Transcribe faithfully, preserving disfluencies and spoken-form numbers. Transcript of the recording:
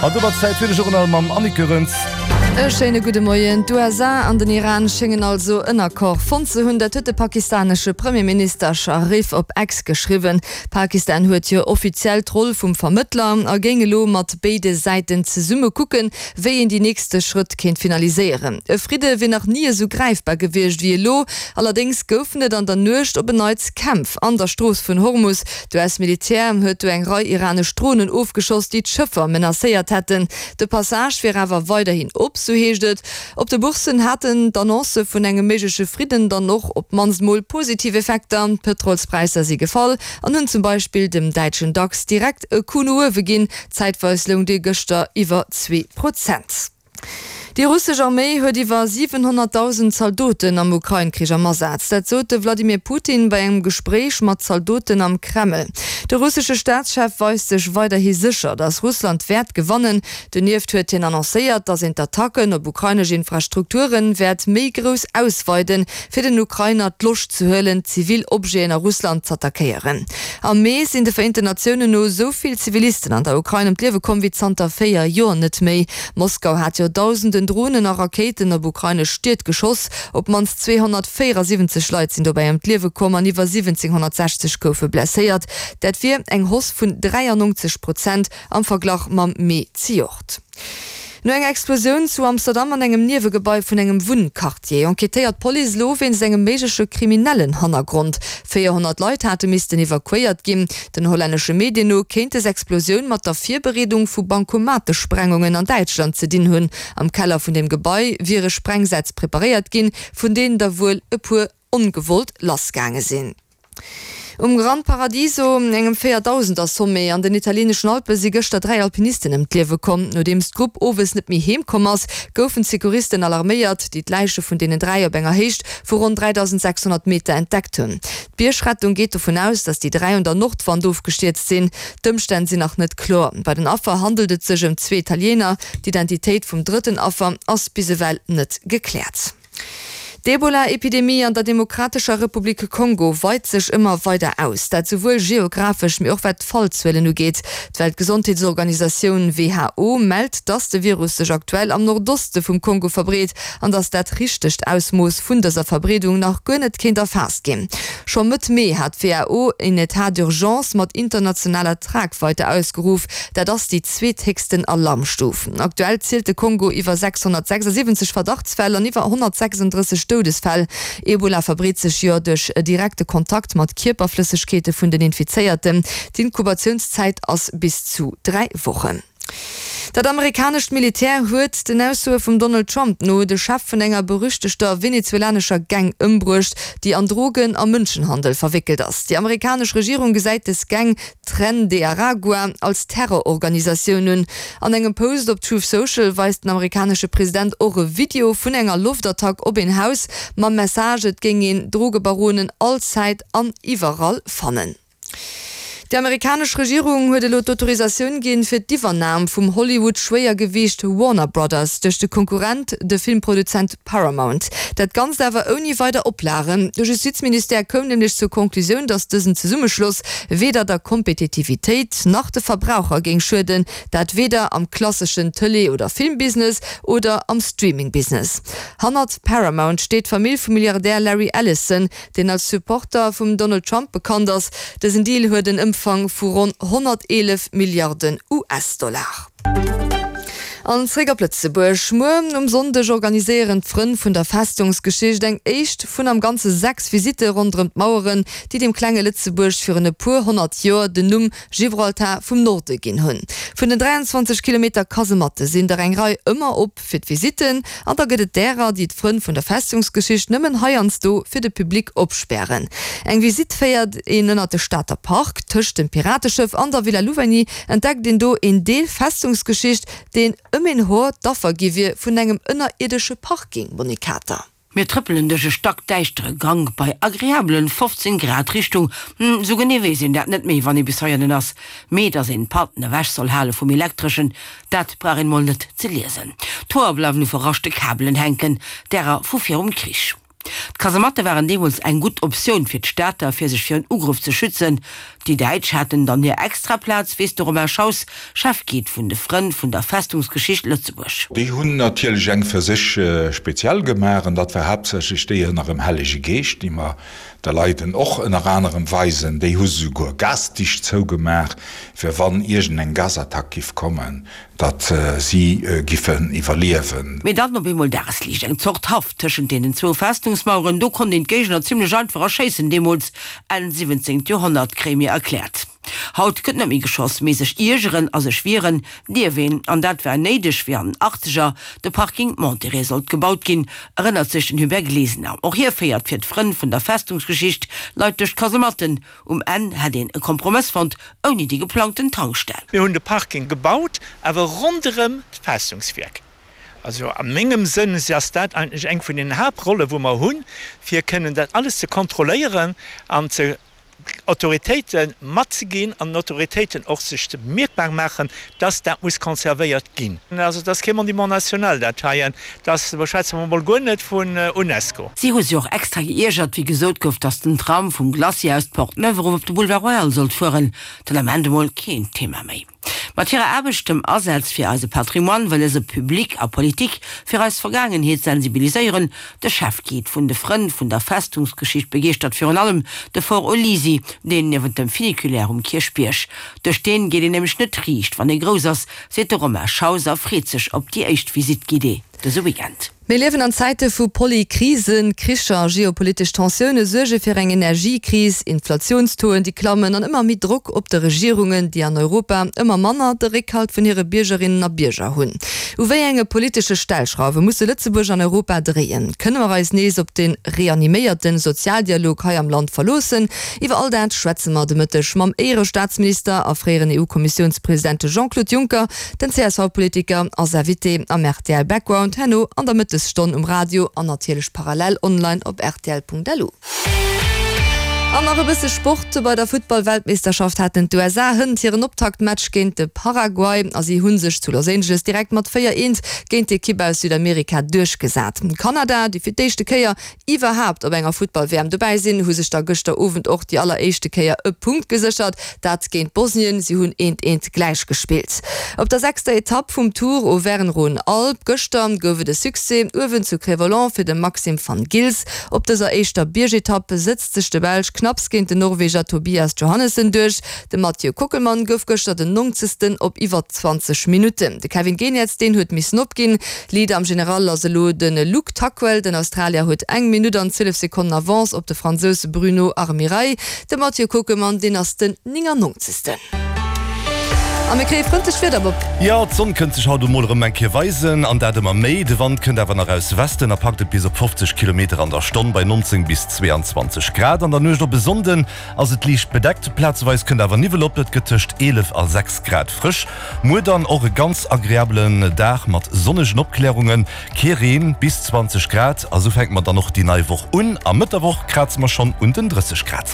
An domat Zäit fir de Journal mam Annick Goerens. E schéine gudde Moien. D'USA an den Iran schéngen also en Accord fonnt ze hunn. Dat huet de pakistanesche Premierminister Sharif op X geschriwwen. Pakistan huet jo offiziell d'Roll vum Vermëttler a géing elo mat béide Säiten zesumme kucken, wéi een déi nächste Schrëtt kéint finaliséieren. E Fridde wier nach ni esou gräifbar gewiescht wéi elo. Allerdéngs goufen et an der Nuecht op en Neits Kämpf an der Strooss vun Hormus. D'US-Militär huet do eng Rei iranesch Dronen ofgeschoss, déi d'Schëffer menacéiert hätten. De Passage wier awer weiderhin op, sou heescht et. Op de Bourssen haten d'Annoncë vun engem méigleche Fridden dann och op d'mannst mol positiv Effekter. D'Pëtrolspräisser si gefall an hunn zum Beispill dem däitschen Dax direkt e Coup no uewe ginn. Zäitweis loung dee gëschter iwwer zwee Prozent. Déi russesch Arméi huet iwwer siwenhonnertdausend Zaldoten am Ukrain-Krich am Asaz. Dat sot de Wladimir Putin bei engem Gespréich mat Zaldoten am Kreml. De russesche Staatschef weist sech weiderhi sécher, datt Russland wäert gewannen. Donieft huet hien annoncéiert, datt een d'Attacken op ukrainesch Infrastrukture wäert méi grouss ausweiden, fir den Ukrainer d'Loscht ze huelen, zivil Objeten a Russland z'attackéieren. Am Mee sinn de Vereenten Natiounen no esou vill Zivilisten an der Ukrain ëm d'Liewe komm wéi zanter véier Joer net méi. Moskau hat jo dausenden Dronen a Rakéiten op ukrainesch Stied geschoss. Op d'mannst zweehonnertvéierasiwwenzeg Leit sinn dobäi ëm d'Liewe komm an iwwer siwwenzénghonnertsechzeg goufe blesséiert. Dat wier eng Hausse vun dräiannonzeg Prozent am Verglach mam Mee zejoert. No enger Explosioun zu Amsterdam an engem Niewegebai vun engem Wunnquartier enquêtéiert d'Police elo wéinst engem méigleche kriminellen Hannergrond. véierhonnert Leit hate missten evakuéiert ginn. Den hollännesche Medien no kéint des Explosioun mat der Virbereedung vu Bankomatesprengungen an Däitschland ze dinn hunn. Am Keller vun dem Gebai wiere Sprengsätz preparéiert ginn, vun deenen der wuel e puer ongewollt lassgaange sinn. Um Gran Paradiso, engem Véierdausender-Sommet an den italieeneschen Alpe si gëschter dräi Alpinisten ëm d'Liewe komm. Nodeems d'Grupp owes net méi heem komm ass, goufen d'Secouristen alarméiert, déi d'Läiche vun deenen dräi op enger Héicht vu ronn dräidausend sechshonnert Meter entdeckt hunn. D'Biergrettung geet dovun aus, datt déi dräi un der Nordwand ofgestierzt sinn. D'Ëmstänn sinn nach net kloer. Bei den Affer handelt et sech ëm zwee Italiener. D'Identitéit vum drëtten Affer ass bis ewell net gekläert. D'Ebola-Epidemie an der Demokratescher Republik Kongo weit sech ëmmer weider aus, dat souwuel geographesch, mee och wat d'Fallzuelen ugeet. D'Weltgesondheetsorganisatioun who mellt, dass de Virus sech aktuell am Nordoste vum Kongo verbreet an dass dat richtegt Ausmooss vun dëser Verbreedung nach guer net kéint erfaasst ginn. Scho Mëtt Mee hat d'WHO een Etat d'urgence mat internationaler Tragweite ausgeruff, dat ass déi zweethéchsten Alarmstuf. Aktuell zielt de Kongo iwwer sechshonnertsechsasiwwenzeg Verdachtsfäll an iwwer honnertsechsandrësseg Doudesfäll. Ebola verbreet sech jo duerch direkte Kontakt mat Kierperflëssegkeete vun den Infizéierten. D'Inkubatiounszäit ass bis zu dräi Wochen. Dat amerikanescht Militär huet den Aussoe vum Donald Trump no de Chef vun enger berüchtegter venezuelanescher Gang ëmbruecht, déi an Drogen a Mënschenhandel verwéckelt ass. Déi amerikanesch Regierung gesäit des Gang, Tren de Aragua, als Terrororganisatioun un. An engem Post op Truth Social weist den amerikanesche President och e Video vun enger Loftattack op een Haus mam Message, et géing een Drogebaronen all Zäit an iwwerall fannen. Déi amerikanesch Regierung huet elo d'Autorisatioun ginn, fir d'Iwwernam vum Hollywood-Schwéiergewiicht Warner Brothers duerch de Konkurrent, de Filmproduzent Paramount. Dat Ganzt awer ouni weider Oplagen. De Justizministère koum nämlech zur Conclusioun, datt dësen Zesummeschloss weder der Kompetitivitéit nach de Verbraucher géing schueden, dat weder am klasseschen Tëlee oder Filmbusiness oder am Streaming-Business. Hannert Paramount steet d'Famill vum Milliardär Larry Ellison, deen als Supporter vum Donald Trump bekannt ass. Dësen Deal huet en Ëmfang vu ronn honnerteelef Milliarden US-Dollar. An zréck op Lëtzebuerg. Muer um Sonndeg organiséieren d'Frënn vun der Festungsgeschicht eng éischt vun am Ganze sechs Visitte ronderëm d'Maueren, déi dem klenge Lëtzebuerg virun e puer honnert Joer den Numm Gibraltar vum Norde ginn hunn. Vun den dräianzwanzeg Kilometer Kasematte sinn der eng Rei ëmmer op fir d'Visitten an da gëtt et därer, déi d'Frënn vun der Festungsgeschicht nëmmen heiansdo fir de Public opspären. Eng Visitt féiert een ënnert de Stater Park. Tëscht dem Pirateschëff an der Villa Louvigny entdeckt een do een Deel Festungsgeschicht, deen ëm een Hoer d'Affer gi wier vun engem ënnerierdesche Parking, Monique Kater. Mir trëppelen duerch e stackdäischtere Gank bei agreabelen fofzéng Grad Richtung, hm, sou genee weess een dat net méi, wann ee bis heianen ass, mee dass een d'Patten ewech soll hale vum Elektreschen, dat brauch een mol net ze liesen. D'Hoer bleiwen u verraschte Kabelen hänken, därer vu virum Krich. D'Kasematte waren deemools eng gutt Optioun fir d'Stater, fir sech virun Ugrëff ze schützen. Déi Däitsch haten dann hir extra Plaz, weess de Romain Schaus, Chefguide vun de Frënn vun der Festungsgeschicht Lëtzebuerg. Déi hunn natierlech eng fir sech speziell gemaach, an dat war haaptsächlech déi ënnerem Hellege Geescht, déi mer de Leit en och ënner anerem weisen. Déi hu se souguer gasdicht zougemaach, fir wann iergendeng Gasattack giff kommen, datt si giffen iwwerliewen. Mee dann op eemol Dagesliicht, eng Zort Haff tëschent deenen zwou Festungsmaueren. Do konnt een d'Géigner zimlech einfach erschéissen deemools, Enn siwwenzéngt Joerhonnert, kréie mir erkläert. Haut gëtt net méi geschoss, mee sech iergeren a sech wieren dierf een. An dat war néideg, wéi an den Achtzeger de Parking Monterey sollt gebaut ginn, erënnert sech den Hubert Glesener. Och hie féiert fir d'Frënn vun der Festungsgeschicht Leit duerch d'Kasematten. Um Enn hätt een e Kompromëss fonnt, ouni déi geplangten Tankstell. Mir hunn de Parking gebaut, awer ronderëm d'Festungswierk. Also a mengem Sënn ass dat eigentlech eng vun den Haaptrolle wou mer hunn, fir kënnen dat alles ze kontrolléieren an ze Autoritéite matzeginn an den Autoritéiten och sech mierkbar maachen, dass dat muss conservéiert ginn. Also et ass kee Monument national dat heien, dass, do schwätze mer emol guer net vun Unesco. Si hu sech och extra geiergert, wéi gesot gouf, dass den Tram vum Glacis aus d'Porte Neuve erof op de Boulevard Royal sollt fueren. Den Ament emol keen Thema méi. Mat hirer Aarbecht, dem Asaz fir eise Patrimoine, wëlle se Public a Politik fir eis Vergaangenheet sensibiliséieren. De Chefguide vun de Frënn vun der Festungsgeschicht begeeschtert virun allem de Fort Olisi, deen niewent dem Funiculaire um Kierchbierg. Duerch deen geet een nämlech net riicht, wann ee grouss ass, seet de Romain Schaus a freet sech op déi éischt Visite guidée dëse Weekend. Mir liewen an Zäite vu Polykrisen, Kricher, geopolitesch Tensioune suerge fir eng Energiekris, Inflatiounstauxen, déi klammen an ëmmer méi Drock op de Regierungen, déi an Europa ëmmer manner de Réckhalt vun hire Biergerinnen a Bierger hunn. U wéi enge politesche Stellschrauwe musse Lëtzebuerg an Europa dréien? Kënne mer eis nees op de reaniméierte Sozialdialog hei am Land verloossen? Iwwer all dat schwätze mer de Mëtteg mam Éierestaatsminister a fréieren EU-Kommissiounspresident Jean-Claude Juncker. Den C S V-Politiker ass Invité am R T L Background herno an der Mëttesstonn um Radio an natierlech parallel online op rtl Punkt L U. An nach e bësse Sport, Bei der Futtball-Weltmeeschterschaft haten d'U S A hënt hiren Optaktmatch géint de Paraguay a si hu sech zu Los Angeles direkt mat véier eent géint d'Ekipp aus Südamerika duerchgesat. Kanada, déi fir d'éischte Kéier iwwerhaapt op enger Futtball-W M dobäi sinn, hu sech da gëschter Owend och déi alleréischte Kéier e Punkt geséchert, dat géint Bosnien, si hunn eent eent gläich gespillt. Op der sechster Etapp vum Tour Auvergne-Rhône-Alpes gëschter gouf et e Succès uewen zu Cré-Volant fir de Maxim Van Gils. Op dëser éischter Biergetapp setzt sech de Belsch knapps géint den Norweger Tobias Johannessen duerch. De Mathieu Kockelmann gouf gëschter den nongzegsten op iwwer zwanzeg Minutten. De Kevin Geniets deen huet missen opginn. Leader am General ass elo de Luke Tuckwell. Den Australier huet eng Minutt an zwielef Sekonnen Avance op de Fransous Bruno Armirail. De Mathieu Kockelmann deen ass den néngannonzegsten. A mir kréie frëndlecht Wieder, Bob. Jo, d'Sonn kënnt sech haut emol erëm eng Kéier weisen, an dat ëmmer méi. De Wand kënnt awer nach aus Westen a packt et bis op fofzeg Kilometer an der Stonn bei nonzéng bis zweeanzwanzeg Grad. An der Nuecht op e Sonnden ass et liicht bedeckt, plazeweis kënnt awer Niwwel op. Et gëtt tëscht eelef a sechs Grad frësch. Muer dann och e ganz agreabelen Dag mat sonnegen Opklärungen, kee Reen, bis zwanzeg Grad. A sou fänke mer dann och déi nei Woch un a Mëtt der Woch kraze mer schonn un den drësseg Grad.